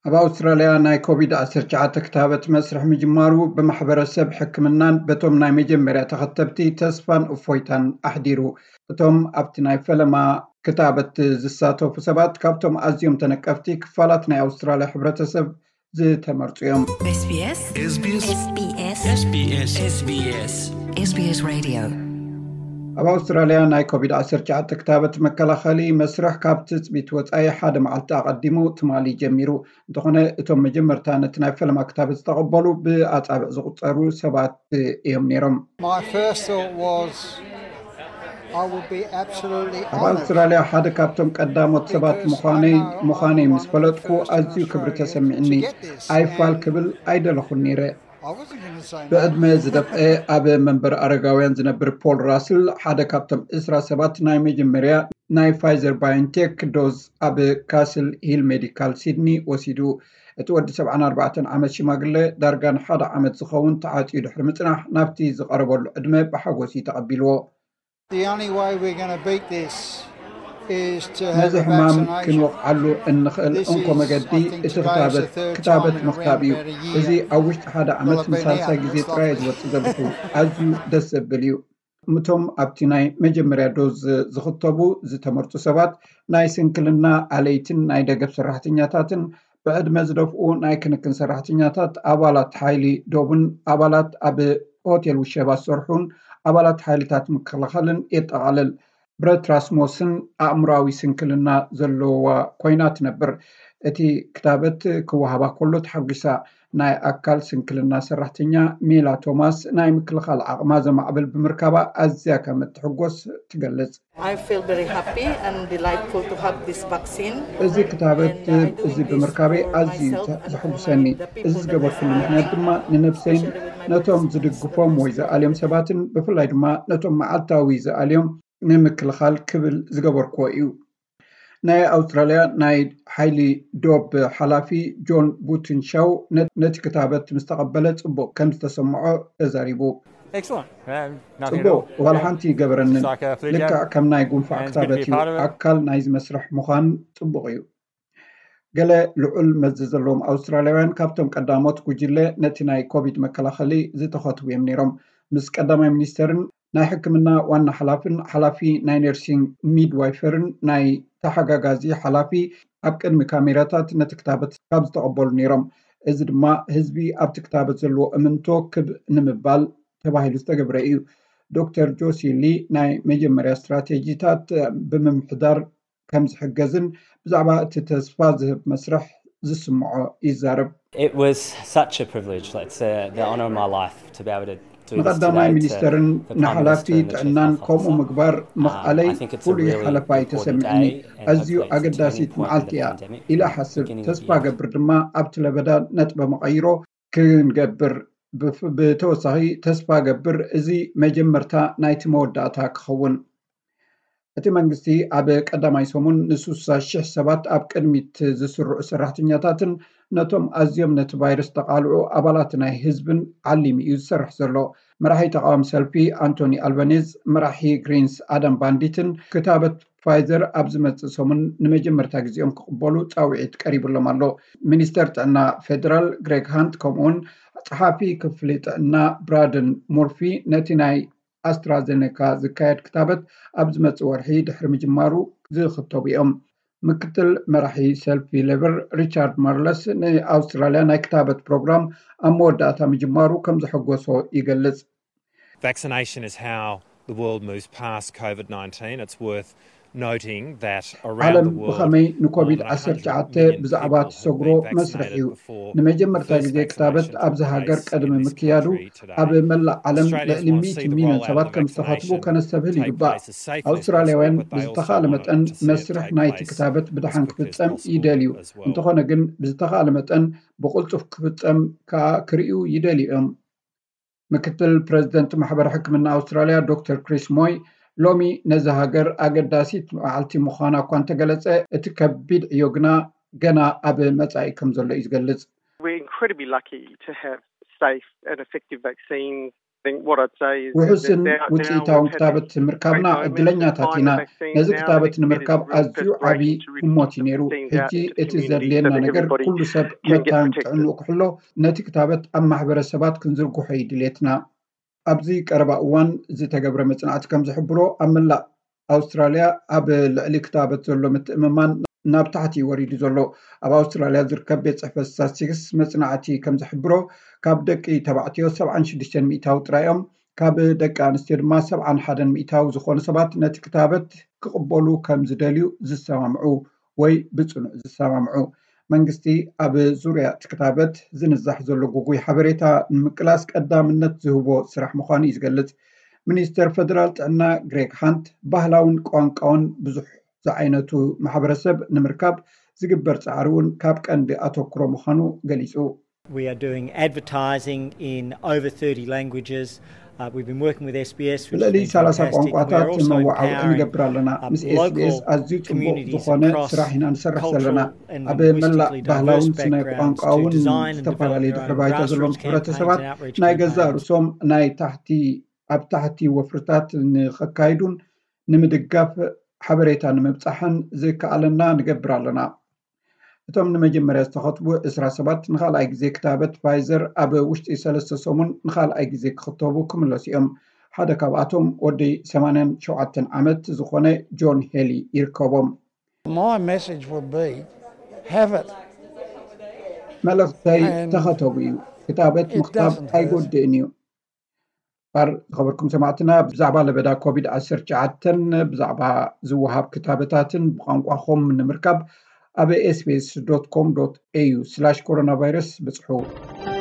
ኣብ ኣውስትራልያ ናይ ኮቪድ ዓሰርተ ትሽዓተ ክታበት መስርሕ ምጅማሩ ብማሕበረሰብ ሕክምናን በቶም ናይ መጀመርያ ተኸተብቲ ተስፋን እፎይታን ኣሕዲሩ። እቶም ኣብቲ ናይ ፈለማ ክታበት ዝሳተፉ ሰባት ካብቶም ኣዝዮም ተነቀፍቲ ክፋላት ናይ ኣውስትራልያ ሕብረተሰብ ዝተመርጹ እዮም። SBS SBS SBS SBS Radio ኣብ ኣውስትራልያ ናይ ኮቪድ ዓሰርተ ትሽዓተ ክታበት መከላኸሊ መስርሕ ካብ ትጽቢት ወጻኢ ሓደ መዓልቲ ኣቐዲሙ ትማሊ ጀሚሩ። እንተኾነ እቶም መጀመርታ ነቲ ናይ ፈለማ ክታበት ዝተቐበሉ ብኣጻብዕ ዝቑጸሩ ሰባት እዮም ነይሮም። My first thought was, I would be absolutely ኣብ honoured. ኣውስትራልያ ሓደ ካብቶም ቀዳሞት ሰባት ምዃነይ ምዃነይ ምስ ፈለጥኩ ኣዝዩ ክብሪ ተሰሚዕኒ። ኣይፋል ክብል ኣይደለኹን ነይረ። I wasn't going to say no. ብዕድመ ዝደፍአ ኣብ መንበር ኣረጋውያን ዝነብር ፖል ራስል ሓደ ካብቶም ዕስራ ሰባት ናይ መጀመርያ ናይ ፋይዘር ባዮንቴክ ዶዝ ኣብ ካስል ሂል ሜዲካል ሲድኒ ወሲዱ። እቲ ወዲ ሰብዓን ኣርባዕተን ዓመት ሽማግለ ዳርጋ ንሓደ ዓመት ዝኸውን ተዓጽዩ ድሕሪ ምጽናሕ ናብቲ ዝቐረበሉ ዕድመ ብሓጎስ እዩ ተቐቢልዎ። The only way we're going to beat this is to have ነዚ a ሕማም vaccination. ክንወቕዓሉ እንኽእል እንኮ መገዲ እቲ ክታበት ክታበት ምኽታብ እዩ። እዚ ኣብ ውሽጢ ሓደ ዓመት ንሳልሳይ ግዜ ጥራይ ዝወፅእ ዘለኹ። ኣዝዩ ደስ ዘብል እዩ። እቶም ኣብቲ ናይ መጀመርያ ዶዝ ዝኽተቡ ዝተመርፁ ሰባት ናይ ስንክልና ኣለይትን ናይ ደገፍ ሰራሕተኛታትን ብዕድመ ዝደፍኡ ናይ ክንክን ሰራሕተኛታት ኣባላት ሓይሊ ዶብን ኣባላት ኣብ ሆቴል ውሸባ ዝሰርሑን ኣባላት ሓይልታት ምክልኻልን የጠቓልል። ብረት ራስሞስን ኣእምራዊ ስንክልና ዘለዋ ኮይና ትነብር። እቲ ክታበት ክወሃባ ከሎ ተሓጒሳ። ናይ ኣካል ስንክልና ሰራሕተኛ ሜላ ቶማስ ናይ ምክልኻል ዓቕማ ዘማዕብል ብምርካባ ኣዝያ ከም እትሕጎስ ትገልጽ። I feel very happy and delightful to have this vaccine. እዚ ክታበት እዚ ብምርካበ ኣዝዩ ዘሕጉሰኒ። እዚ ዝገበርኩሉ ምክንያት ድማ ንነብሰይን ነቶም ዝድግፎም ወይ ዝኣልዮም ሰባትን ብፍላይ ድማ ነቶም መዓልታዊ ዝኣልዮም ንምክልኻል ክብል ዝገበርክዎ እዩ። ናይ ኣውስትራልያ ናይ ሓይሊ ዶብ ሓላፊ ጆን ቡትንሻው ነቲ ክታበት ምስ ተቐበለ ጽቡቕ ከም ዝተሰምዖ ተዛሪቡ። ጽቡቕ ዋላ ሓንቲ ይገበረንን። ልክዕ ከም ናይ ጉንፋዕ ክታበት እዩ። ኣካል ናይዚ መስርሕ ምዃን ጽቡቕ እዩ። ገለ ልዑል መዚ ዘለዎም ኣውስትራልያውያን ካብቶም ቀዳሞት ጉጅለ ነቲ ናይ ኮቪድ መከላኸሊ ዝተኸትቡ እዮም ነይሮም። ምስ ቀዳማይ ሚኒስተርን ናይ ሕክምና ዋና ሓላፍን ሓላፊ ናይ ነርሲንግ ሚድዋይፈርን ናይ ተሓጋጋዚ ሓላፊ ኣብ ቅድሚ ካሜራታት ነቲ ክታበት ካብ ዝተቐበሉ ነይሮም። እዚ ድማ ህዝቢ ኣብቲ ክታበት ዘለዎ እምንቶ ክብ ንምባል ተባሂሉ ዝተገብረ እዩ። ዶክተር ጆሲ ሊ ናይ መጀመርያ ስትራቴጂታት ብምምሕዳር ከም ዝሕገዝን ብዛዕባ እቲ ተስፋ ዝህብ መስርሕ ዝስምዖ ይዛረብ። It was such a privilege. It's uh, the honour of my life to be able to ንቐዳማይ ሚኒስተርን ንሓላፊ ጥዕናን ከምኡ ምግባር ምኽኣለይ ፍሉይ ሓለፋ እዩ ተሰሚዕኒ። ኣዝዩ ኣገዳሲት መዓልቲ እያ ኢለ እሓስብ። ተስፋ ገብር ድማ ኣብቲ ለበዳ ነጥበ መቐይሮ ክንገብር ብተወሳኺ ተስፋ ገብር እዚ መጀመርታ ናይቲ መወዳእታ ክኸውን። እቲ መንግስቲ ኣብ ቀዳማይ ሰሙን ንስሳ ሽሕ ሰባት ኣብ ቅድሚት ዝስርዑ ሰራሕተኛታትን ነቶም ኣዝዮም ነቲ ቫይረስ ተቓልዑ ኣባላት ናይ ህዝብን ዓሊም እዩ ዝሰርሕ ዘሎ። መራሒ ተቃዋሚ ሰልፊ ኣንቶኒ ኣልባኔዝ፣ መራሒ ግሪንስ ኣዳም ባንዲትን ክታበት ፋይዘር ኣብ ዝመጽእ ሰሙን ንመጀመርታ ግዜኦም ክቕበሉ ጻውዒት ቀሪብሎም ኣሎ። ሚኒስተር ጥዕና ፌደራል ግሬግ ሃንት ከምኡውን ጸሓፊ ክፍሊ ጥዕና ብራደን ሙርፊ ነቲ ናይ ኣስትራዘኔካ ዝካየድ ክታበት ኣብ ዝመጽእ ወርሒ ድሕሪ ምጅማሩ ዝኽተቡ እዮም። ምክትል መራሒ ሰልፊ ሌበር ሪቻርድ ማርለስ ንኣውስትራልያ ናይ ክታበት ፕሮግራም ኣብ መወዳእታ ምጅማሩ ከም ዘሐጎሶ ይገልጽ። Vaccination is how the world moves past COVID nineteen. It's worth noting that around ዓለም the world, ብኸመይ ንኮቪድ ዓሰርተ ትሽዓተ ብዛዕባ ትሰግሮ መስርሕ እዩ። ንመጀመርታ ግዜ ክታበት ኣብዚ ሃገር ቅድሚ ምክያዱ ኣብ መላእ ዓለም ልዕሊ ሚእቲ ሚልዮን ሰባት ከም ዝተኸትቡ ከነስተብህል ይግባእ። ኣውስትራልያውያን ብዝተኻእለ መጠን መስርሕ ናይቲ ክታበት ብድሓን ክፍጸም ይደልዩ። እንተኾነ ግን ብዝተኻእለ መጠን ብቕልጡፍ ክፍጸም ከኣ ክርእዩ ይደልዩ እዮም። ምክትል ፕረዚደንት ማሕበር ሕክምና ኣውስትራልያ ዶክተር ክሪስ ሞይ ሎሚ ነዚ ሃገር ኣገዳሲት መዓልቲ ምዃና እኳ እንተገለጸ፣ እቲ ከቢድ ዕዮ ግና ገና ኣብ መጻኢ ከም ዘሎ እዩ ዝገልጽ። We're incredibly lucky to have safe and effective vaccines. ውሑስን ውፅኢታውን ክታበት ምርካብና እድለኛታት ኢና። ነዚ ክታበት ንምርካብ ኣዝዩ ዓብዪ ህሞት እዩ ነይሩ። ሕጂ እቲ ዘድልየና ነገር ኩሉ ሰብ መታን ጥዕንኡ ክሕሎ፣ ነቲ ክታበት ኣብ ማሕበረሰባት ክንዝርግሖ እዩ ድሌትና። ኣብዚ ቀረባ እዋን ዝተገብረ መፅናዕቲ ከም ዝሕብሮ ኣብ መላእ ኣውስትራልያ ኣብ ልዕሊ ክታበት ዘሎ ምትእምማን ናብ ታሕቲ እዩ ወሪዱ ዘሎ። ኣብ ኣውስትራልያ ዝርከብ ቤት ፅሕፈት ስታትስቲክስ መፅናዕቲ ከም ዝሕብሮ ካብ ደቂ ተባዕትዮ ሰብዓን ሽዱሽተን ሚእታዊ ጥራይ እዮም፣ ካብ ደቂ ኣንስትዮ ድማ ሰብዓን ሓደን ሚእታዊ ዝኾኑ ሰባት ነቲ ክታበት ክቕበሉ ከም ዝደልዩ ዝሰማምዑ ወይ ብፅኑዕ ዝሰማምዑ። መንግስቲ ኣብ ዙርያ እቲ ክታበት ዝንዛሕ ዘሎ ጉጉይ ሓበሬታ ንምቅላስ ቀዳምነት ዝህቦ ስራሕ ምዃኑ እዩ ዝገልጽ። ሚኒስተር ፈደራል ጥዕና ግሬግ ሃንት ባህላውን ቋንቋውን ብዙሕ ዝዓይነቱ ማሕበረሰብ ንምርካብ ዝግበር ጻዕሪ እውን ካብ ቀንዲ ኣተኩሮ ምዃኑ ገሊጹ። We are doing advertising in over thirty languages. Uh, we've been working with SBS, which has ብልዕሊ been ሰላሳ fantastic. We're ቋንቋታት also መዋዕውዒ empowering ንገብር ኣለና። uh, ምስ SBS local ኣዝዩ ጽቡቕ communities ዝኾነ across ስራሕ ኢና ንሰርሕ ዘለና። cultural and ኣብ መላእ linguistically ባህላውን diverse ስነ backgrounds ቋንቋውን to design and develop ዝተፈላለየ their ድሕሪ own ባይታ ዘለዎም grassroots campaigns ሕብረተሰባት and outreach ናይ ገዛእ campaigns. ርእሶም ናይ ታሕቲ ኣብ ታሕቲ ወፍርታት ንኸካይዱን ንምድጋፍ ሓበሬታ ንምብጻሕን ዝከኣለና ንገብር ኣለና። እቶም ንመጀመርያ ዝተኸትቡ ዕስራ ሰባት ንኻልኣይ ግዜ ክታበት ፋይዘር ኣብ ውሽጢ ሰለስተ ሰሙን ንኻልኣይ ግዜ ክኽተቡ ክምለሱ እዮም። ሓደ ካብኣቶም ወዲ ሰማንያን ሸውዓተን ዓመት ዝኾነ ጆን ሄሊ ይርከቦም። My message would be have it. መልእኽተይ And ተኸተቡ እዩ። ክታበት it ምኽታብ doesn't hurt. ኣይጎድእን እዩ። ባር ዝኸበርኩም ሰማዕትና ብዛዕባ ለበዳ ኮቪድ ዓሰርተ ትሽዓተ ብዛዕባ ዝወሃብ ክታበታትን ብቋንቋኹም ንምርካብ ኣብ ኤስቢኤስ ዶት ኮም ዶት ኤዩ ስላሽ ኮሮና ቫይረስ ብጽሑ።